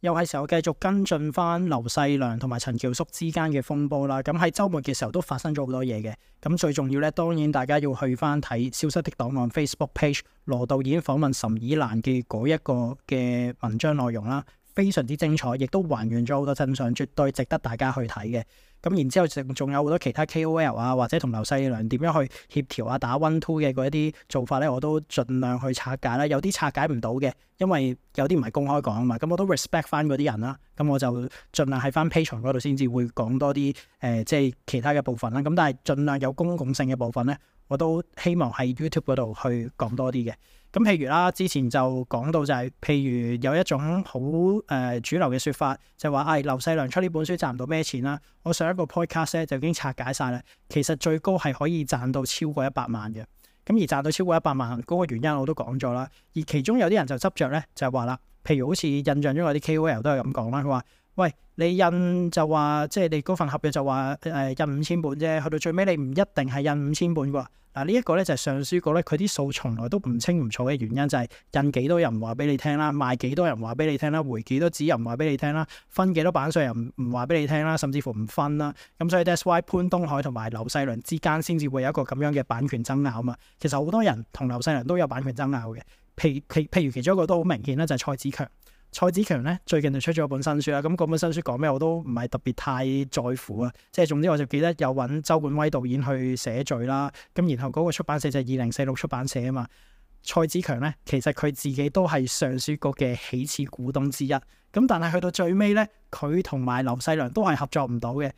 又係時候繼續跟進翻劉細良同埋陳喬肅之間嘅風波啦。咁喺週末嘅時候都發生咗好多嘢嘅。咁最重要咧，當然大家要去翻睇《消失的檔案》Facebook page 羅導演訪問岑以蘭嘅嗰一個嘅文章內容啦，非常之精彩，亦都還原咗好多真相，絕對值得大家去睇嘅。咁然之後仲有好多其他 KOL 啊，或者同劉細良點樣去協調啊、打 one two 嘅嗰一啲做法咧，我都盡量去拆解啦。有啲拆解唔到嘅，因為有啲唔係公開講啊嘛。咁我都 respect 翻嗰啲人啦。咁我就盡量喺翻 Patreon 嗰度先至會講多啲即係其他嘅部分啦。咁但係盡量有公共性嘅部分咧，我都希望喺 YouTube 嗰度去講多啲嘅。咁譬如啦，之前就講到就係、譬如有一種好主流嘅説法，就話劉細良出呢本書賺唔到咩錢啦。我上一個 podcast 咧就已經拆解晒啦。其實最高係可以賺到超過100萬嘅。咁而賺到超過100萬嗰個原因我都講咗啦。而其中有啲人就執着咧，就係話啦，譬如好似印象中有啲 KOL 都係咁講啦，佢話：喂，你印就話即係你嗰份合約就話印5000本啫，去到最尾你唔一定係印5000本㗎。嗱，呢一個咧就係上書局咧，佢啲數從來都唔清唔楚嘅原因就係印幾多人唔話俾你聽啦，賣幾多人話俾你聽啦，回幾多紙又唔話俾你聽啦，分幾多版稅又唔話俾你聽啦，甚至乎唔分啦。咁所以 that's why 潘東海同埋劉細良之間先至會有一個咁樣嘅版權爭拗嘛。其實好多人同劉細良都有版權爭拗嘅，譬如其中一個都好明顯啦，就係蔡子強。蔡子強咧最近就出咗本新書啦，咁嗰本新書講咩我都唔係特別太在乎啊，即係總之我就記得有揾周冠威導演去寫序啦，咁然後嗰個出版社就係2046出版社啊嘛。蔡子強咧其實佢自己都係上書局嘅起始股東之一，咁但係去到最尾咧，佢同埋劉細良都係合作唔到嘅。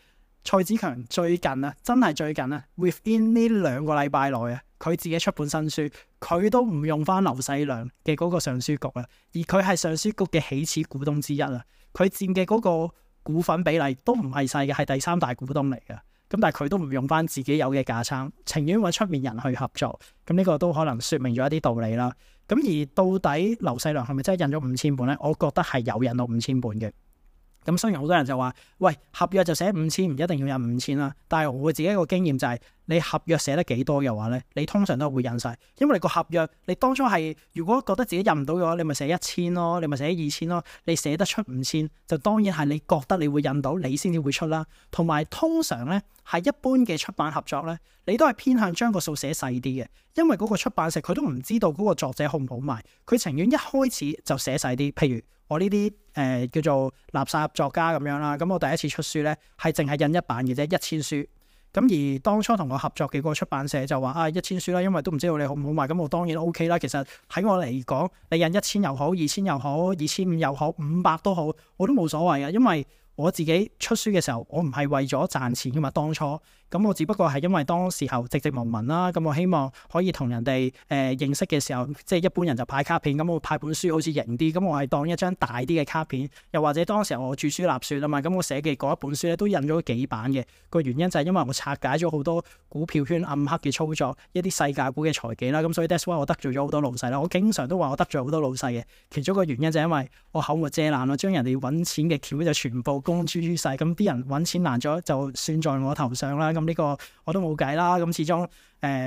蔡子強最近啊，真係最近啊 ，within 呢2個禮拜內啊，佢自己出本新書，佢都唔用翻劉細良嘅嗰個上書局啊，而佢係上書局嘅起始股東之一啊，佢佔嘅嗰個股份比例都唔係細嘅，係第3大股東嚟嘅。咁但係佢都唔用翻自己有嘅架撐，情願揾出面人去合作。咁呢個都可能説明咗一啲道理啦。咁而到底劉細良係咪真係印咗5000本咧？我覺得係有印到5000本嘅。咁雖然好多人就話，喂，合約就寫5000，唔一定要印5000啦。但係我自己一個經驗就係，你合約寫得幾多嘅話咧，你通常都會印晒。因為你個合約，你當初係如果覺得自己印唔到嘅話，你咪寫1000咯，你咪寫2000咯。你寫得出5000，就當然係你覺得你會印到，你先至會出啦。同埋通常咧，係一般嘅出版合作咧，你都係偏向將個數寫細啲嘅，因為嗰個出版社佢都唔知道嗰個作者好唔好賣，佢情願一開始就寫細啲。譬如我呢啲叫做垃圾作家咁樣啦，咁我第一次出書咧係淨係印1版嘅啫，1000書。咁而當初同我合作嘅嗰個出版社就話1000書啦，因為都唔知道你好唔好賣，咁我當然 OK 啦。其實喺我嚟講，你印1000又好，2000又好，2500又好，500都好，我都冇所謂嘅，因為我自己出書嘅時候，我唔係為咗賺錢噶嘛，當初咁我只不過係因為當時候寂寂無聞啦，咁我希望可以同人哋認識嘅時候，即係一般人就派卡片，咁我派本書好似型啲，咁我係當一張大啲嘅卡片，又或者當時候我著書立說啊嘛，咁我寫嘅嗰一本書咧都印咗幾版嘅，個原因就係因為我拆解咗好多股票圈暗黑嘅操作，一啲細價股嘅財技啦，咁所以 that's why 我得罪咗好多老細啦，我經常都話我得罪好多老細嘅，其中一個原因就係因為我口無遮攔咯，將人哋揾錢嘅橋就全部公諸於世，咁啲人揾錢難咗就算在我頭上啦。咁呢個我都冇計啦。咁始終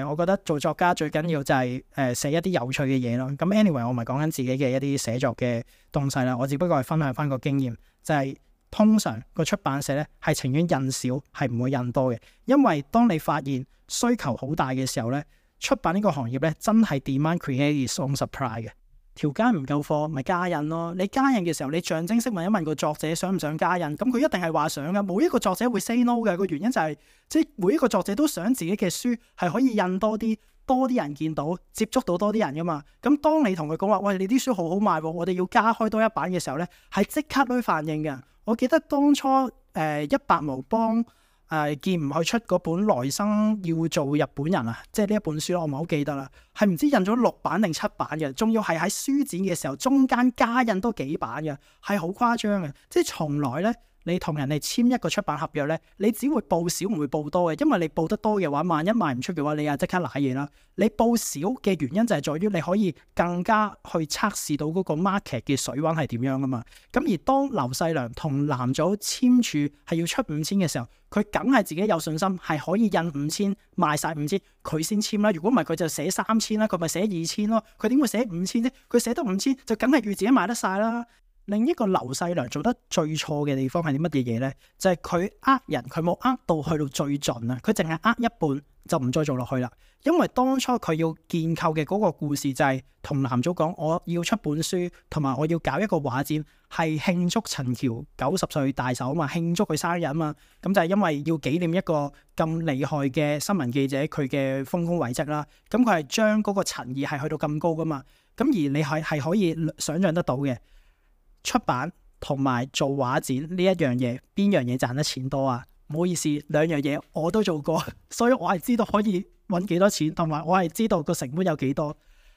我覺得做作家最緊要就係寫一啲有趣嘅嘢咯。咁 anyway 我唔係講緊自己嘅一啲寫作嘅東西啦，我只不過係分享翻個經驗，就係通常個出版社咧係情願印少，係唔會印多嘅。因為當你發現需求好大嘅時候咧，出版呢個行業咧真係 demand create its own supply 嘅。條街唔夠貨，咪加印咯。你加印嘅時候，你象徵式問一問個作者想唔想加印，咁佢一定係話想噶。冇一個作者會 say no 嘅。個原因就係，即係每一個作者都想自己嘅書係可以印多啲人見到，接觸到多啲人噶嘛。咁當你同佢講話，喂，你啲書好好賣喎，我哋要加開多一版嘅時候咧，係即刻都反應嘅。我記得當初100毛幫見唔去出嗰本來生要做日本人啊，即係呢一本書我唔係好記得啦，係唔知印咗6版定7版嘅，仲要係喺書展嘅時候中間加印多幾版嘅，係好誇張嘅。即係從來咧，你同人哋簽一個出版合約咧，你只會報少唔會報多嘅，因為你報得多嘅話，萬一賣唔出嘅話，你又即刻瀨嘢啦。你報少嘅原因就係在於你可以更加去測試到嗰個 market 嘅水溫係點樣啊嘛。咁而當劉細良同藍組簽署係要出5000嘅時候，佢梗係自己有信心係可以印5000賣晒5000，佢先簽啦。如果唔係佢就寫3000啦，佢咪寫2000咯。佢點會寫5000啫？佢寫得5000就梗係預自己賣得晒啦。另一個劉細良做得最錯嘅地方係啲乜嘢嘢呢？就係佢呃人，佢冇呃到去到最盡啊！佢淨係呃一半就唔再做落去啦。因為當初佢要建構嘅嗰個故事就係同男組講，我要出本書，同埋我要搞一個畫展，係慶祝陳橋90歲大壽啊嘛，慶祝佢生日啊嘛。咁就係因為要紀念一個咁厲害嘅新聞記者佢嘅豐功偉績啦。咁佢係將嗰個陳意係去到咁高噶嘛。咁而你係可以想像得到嘅，出版同埋做畫展呢一樣嘢，邊樣嘢賺得錢多啊？唔好意思，兩樣嘢我都做過，所以我係知道可以揾幾多錢，同埋我係知道個成本有幾多。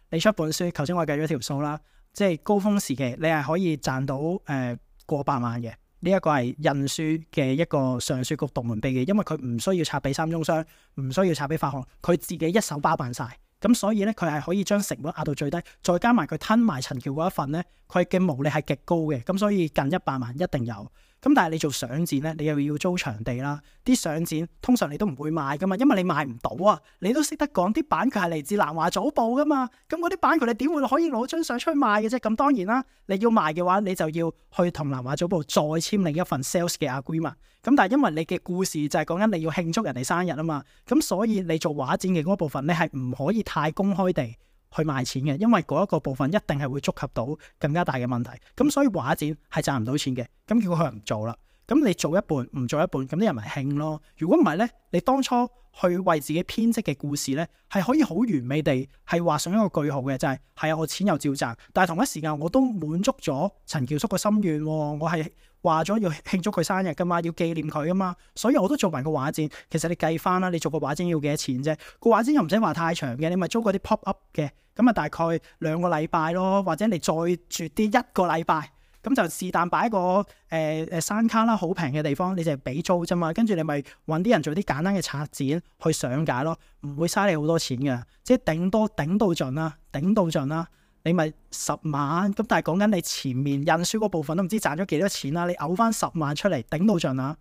你出本書，頭先我計咗條數啦，即係高峰時期你係可以賺到過百萬嘅。呢一個係印書嘅一個上書局獨門秘技，因為佢唔需要拆俾三中商，唔需要拆俾發行，佢自己一手包辦晒。咁所以咧，佢係可以將成本壓到最低，再加埋佢吞埋陳橋嗰一份咧，佢嘅毛利係極高嘅。咁所以近100萬一定有。咁但係你做相展咧，你又要租場地啦。啲相展通常你都唔會賣噶嘛，因為你賣唔到啊。你都識得講啲版權係嚟自南華早報噶嘛。咁嗰啲版權你點會可以攞張相出去賣嘅啫？咁當然啦，你要賣嘅話，你就要去同南華早報再簽另一份 sales 嘅 agreement。咁但係因為你嘅故事就係講緊你要慶祝人哋生日啊嘛，咁所以你做畫展嘅嗰部分，你係唔可以太公開地去賣錢嘅，因為嗰一個部分一定係會觸及到更加大嘅問題。咁所以畫展係賺唔到錢嘅，咁結果佢唔做啦。咁你做一半唔做一半，咁啲人咪興咯。如果唔係呢，你當初去為自己編織嘅故事呢，係可以好完美地係畫上一個句號嘅，就係啊，我錢又照賺，但係同一時間我都滿足咗陳橋叔個心願，我係話咗要慶祝佢生日噶嘛，要紀念佢噶嘛，所以我都做埋個畫展。其實你計翻啦，你做個畫展要幾多錢啫？個畫展又唔使話太長嘅，你咪租嗰啲 pop up 嘅，咁啊大概2個禮拜咯，或者你再絕啲1個禮拜。咁就是但擺一個山卡啦，好平嘅地方，你就係俾租啫嘛。跟住你咪揾啲人做啲簡單嘅策展去上架咯，唔會嘥你好多錢嘅，即係頂到盡啦，你咪10萬。咁但係講緊你前面印書嗰部分都唔知賺咗幾多錢啦，你嘔翻10萬出嚟頂到盡啦。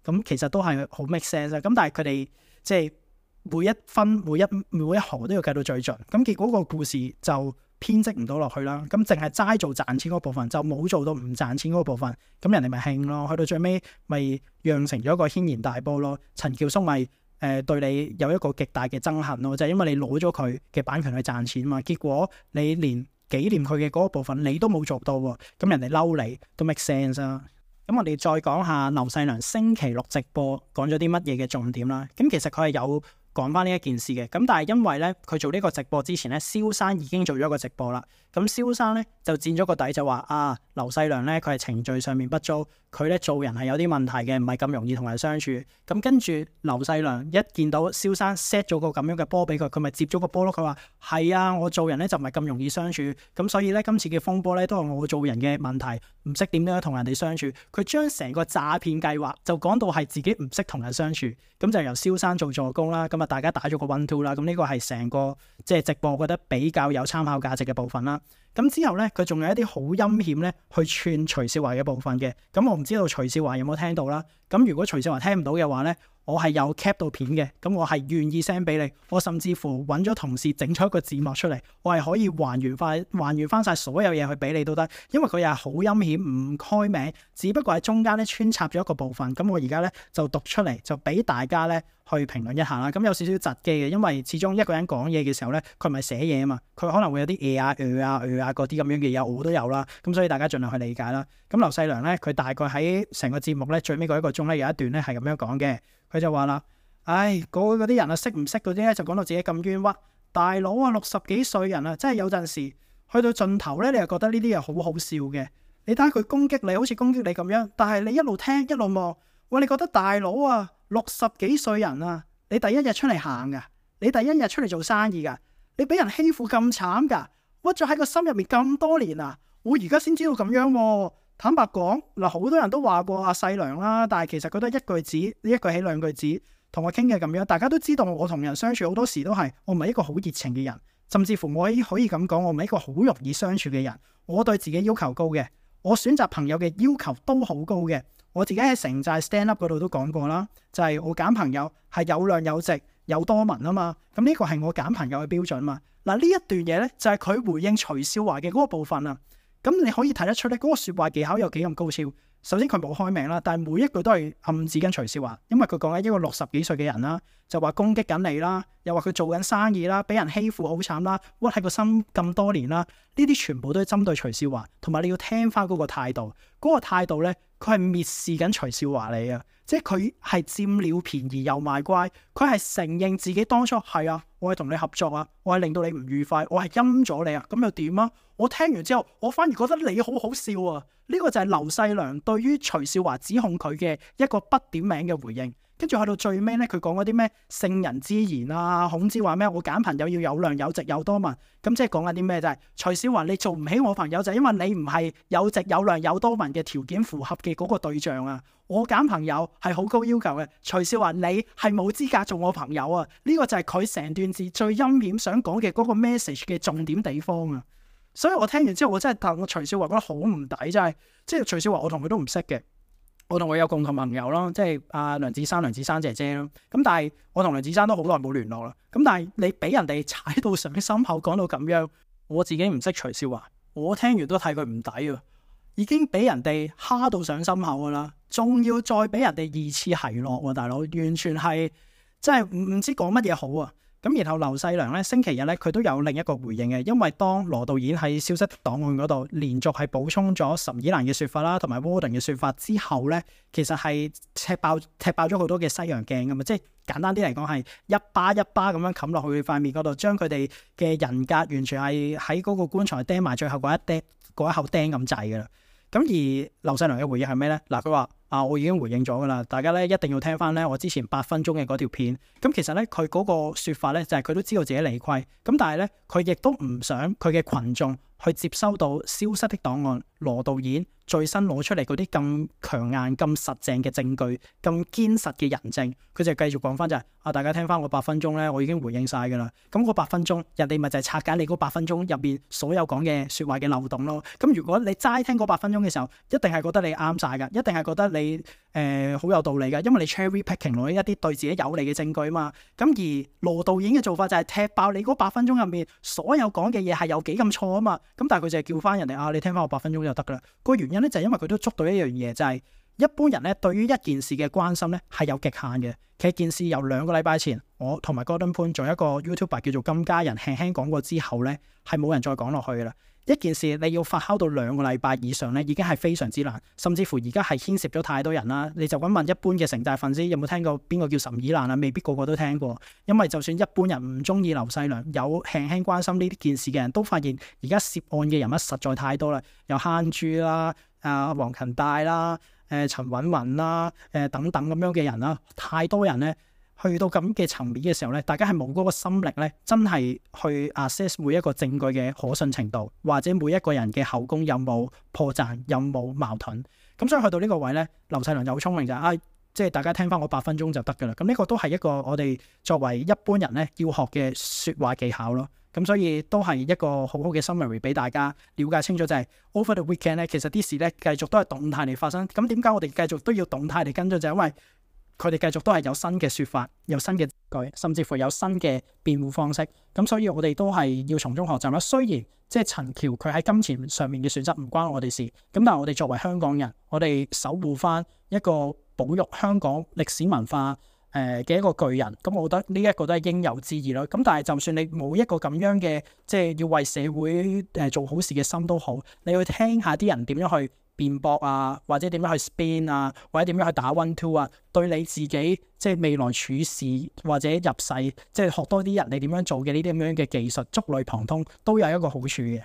咁其實都係好 make sense 啊。咁但係佢哋即係每一分每一毫都要計到最盡，咁結果個故事就編織唔到落去啦，咁淨係齋做賺錢嗰部分，就冇做到唔賺錢嗰部分，咁人哋咪興咯，去到最尾咪釀成咗一個軒然大波咯。陳橋叔咪對你有一個極大嘅憎恨咯，就係因為你攞咗佢嘅版權去賺錢嘛，結果你連紀念佢嘅嗰個部分你都冇做到喎，咁人哋嬲你都 make sense 啊。咁我哋再講下劉細良星期六直播講咗啲乜嘢嘅重點啦。咁其實佢係有講翻呢一件事嘅，咁但係因為咧佢做呢個直播之前咧，蕭生已經做咗一個直播啦。咁蕭生咧就佔咗個底，就話劉細良咧佢係程序上面不足，佢咧做人係有啲問題嘅，唔係咁容易同人相處。咁跟住劉細良一見到蕭生 set 咗個咁樣嘅波俾佢，佢咪接咗個波咯。佢話係啊，我做人咧就唔係咁容易相處，咁所以咧今次嘅風波咧都係我做人嘅問題，唔識點樣同人哋相處。佢將成個詐騙計劃就講到係自己唔識同人相處，咁就由蕭生做助攻啦。咁大家打咗個 1-2 啦，咁呢個係成個即係直播，我覺得比較有參考價值嘅部分啦。咁之後咧，佢仲有一啲好陰險咧去串徐少華嘅部分嘅。咁我唔知道徐少華有冇聽到啦。咁如果徐少華聽唔到嘅話咧，我係有 cap 到片嘅，咁我係願意 send 俾你。我甚至乎揾咗同事整咗一個字幕出嚟，我係可以還原翻晒所有嘢去俾你都得。因為佢又係好陰險，唔開名，只不過喺中間咧穿插咗一個部分。咁我而家咧就讀出嚟，就俾大家咧去評論一下啦。咁有少少窒機嘅，因為始終一個人講嘢嘅時候咧，佢唔係寫嘢啊嘛，佢可能會有啲嗰啲咁樣嘅嘢，我都有啦。咁所以大家盡量去理解啦。咁劉細良咧，佢大概喺成個節目咧最尾嗰1個鐘咧有一段咧係咁樣講嘅。佢就話啦，嗰啲人啊，識唔識嗰啲咧，就講到自己咁冤屈。大佬啊，60幾歲人啊，真係有陣時去到盡頭咧，你又覺得呢啲嘢好好笑嘅。你睇下佢攻擊你，好似攻擊你咁樣，但係你一路聽一路望，喂，你覺得大佬啊，60幾歲人啊，你第一日出嚟行噶，你第一日出嚟做生意噶，你俾人欺負咁慘噶，屈咗喺個心入面咁多年啊，我而家先知道咁樣喎。坦白講嗱，好多人都話過阿細良啦，但係其實佢都係一句子，一句起兩句止同我傾嘅咁樣。大家都知道我同人相處好多時都係我唔係一個好熱情嘅人，甚至乎我可以咁講，我唔係一個好容易相處嘅人。我對自己要求高嘅，我選擇朋友嘅要求都好高嘅。我自己喺城寨 stand up 嗰度都講過啦，就係我揀朋友係有量有值有多文啊嘛。咁呢個係我揀朋友嘅標準嘛。嗱，呢一段嘢呢，就係佢回應徐少華嘅嗰個部分啊。咁你可以睇得出咧，嗰個説話技巧有幾咁高超。首先佢冇開名啦，但係每一句都係暗指緊徐少華，因為佢講緊一個60幾歲嘅人啦，就話攻擊緊你啦，又話佢做緊生意啦，俾人欺負好慘啦，屈喺個心咁多年啦，呢啲全部都係針對徐少華，同埋你要聽翻嗰個態度，嗰個態度咧，佢係蔑視緊徐少華你啊，即係佢係佔了便宜又賣乖，佢係承認自己當初係啊，我係同你合作啊，我係令到你唔愉快，我係陰咗你啊，咁又點啊？我聽完之後，我反而覺得你好好笑啊！呢個就係劉細良對於徐少華指控佢嘅一個不點名嘅回應。跟住去到最尾咧，佢講嗰啲咩聖人之言啊，孔子話咩我揀朋友要有量有直有多聞，咁即係講緊啲咩？就係徐少華你做唔起我朋友就係因為你唔係有直有量有多聞嘅條件符合嘅嗰個對象啊！我揀朋友係好高要求嘅，徐少華你係冇資格做我朋友啊！呢個就係佢成段字最陰險想講嘅嗰個 message 嘅重點地方啊！所以我聽完之後，我真係戥我徐少華覺得好唔抵，即係徐少華我同佢都唔識嘅，我同佢有共同朋友咯，即係阿梁子珊姐姐咯。咁但係我同梁子珊都好耐冇聯絡啦。咁但係你俾人哋踩到上心口講到咁樣，我自己唔識徐少華，我聽完都睇佢唔抵啊！已經俾人哋蝦到上心口噶啦，仲要再俾人哋二次奚落喎，大佬完全係真係唔知講乜嘢好啊！咁然後劉細良咧星期日咧佢都有另一個回應嘅，因為當羅導演喺消失的檔案嗰度連續係補充咗岑以蘭嘅説法啦，同埋 Warden 嘅説法之後咧，其實係踢爆咗好多嘅西洋鏡㗎嘛，即係簡單啲嚟講係一巴一巴咁樣冚落去塊面嗰度，將佢哋嘅人格完全係喺嗰個棺材釘埋最後嗰一口釘咁滯㗎啦。咁而劉細良嘅回應係咩咧？嗱，佢話我已經回應咗噶啦，大家咧一定要聽翻咧我之前8分鐘嘅嗰條片。咁其實咧佢嗰個説法咧就係佢都知道自己理虧，咁但係咧佢亦都唔想佢嘅群眾去接收到消失的檔案羅導演最新攞出嚟嗰啲咁強硬、咁實淨嘅證據、咁堅實嘅人證，佢就繼續講翻就係大家聽翻我8分鐘咧，我已經回應晒噶啦。咁嗰8分鐘，人哋咪就係拆解你嗰8分鐘入邊所有講嘅説話嘅漏洞咯。咁如果你齋聽嗰8分鐘嘅時候，一定係覺得你啱晒噶，一定係覺得你好有道理噶，因為你 cherry picking 攞一啲對自己有利嘅證據啊嘛。咁而羅導演嘅做法就係踢爆你嗰8分鐘入面所有講嘅嘢係有幾咁錯啊嘛。咁但係佢就係叫翻人哋你聽翻我8分鐘就得噶啦。個原因咧就係因為佢都捉到一樣嘢，就係一般人咧對於一件事嘅關心咧係有極限嘅。其實件事由2個禮拜前我同埋 Gordon 潘做一個 YouTuber 叫做金家人輕輕講過之後咧，係冇人再講落去噶啦。一件事你要發酵到2個禮拜以上咧，已經係非常之難，甚至乎而家係牽涉咗太多人啦。你就咁問一般嘅城大粉絲有冇聽過邊個叫岑以蘭啊？未必個個都聽過，因為就算一般人唔中意劉細良，有輕輕關心呢啲件事嘅人都發現而家涉案嘅人物實在太多啦，有慳珠啦、黃勤大啦、陳韻文啦、等等咁樣嘅人啦，太多人咧。去到咁嘅層面嘅時候咧，大家係冇嗰個心力咧，真係去 assess 每一個證據嘅可信程度，或者每一個人嘅口供有冇破綻，有冇矛盾。咁所以去到呢個位咧，劉細良就好聰明就係即係大家聽翻我8分鐘就得噶啦。咁呢個都係一個我哋作為一般人咧要學嘅説話技巧咯。咁所以都係一個好好嘅 summary 俾大家了解清楚，就係 over the weekend 咧，其實啲事咧繼續都係動態嚟發生。咁點解我哋繼續都要動態嚟跟進？就係因為佢哋繼續都係有新嘅説法，有新嘅證據，甚至乎有新嘅辯護方式。咁所以我哋都係要從中學習啦。雖然即係陳橋佢喺金錢上面嘅選擇唔關我哋事，咁但係我哋作為香港人，我哋守護翻一個保育香港歷史文化嘅一個巨人，咁我覺得呢一個都係應有之義咯。咁但係就算你冇一個咁樣嘅即係要為社會做好事嘅心都好，你去聽下啲人點樣去辯駁啊，或者點樣去 spin 啊，或者點樣去打 one two 啊，對你自己即係未來處事或者入世，即係學多啲人你點樣做嘅呢啲咁樣嘅技術，觸類旁通都有一個好處嘅。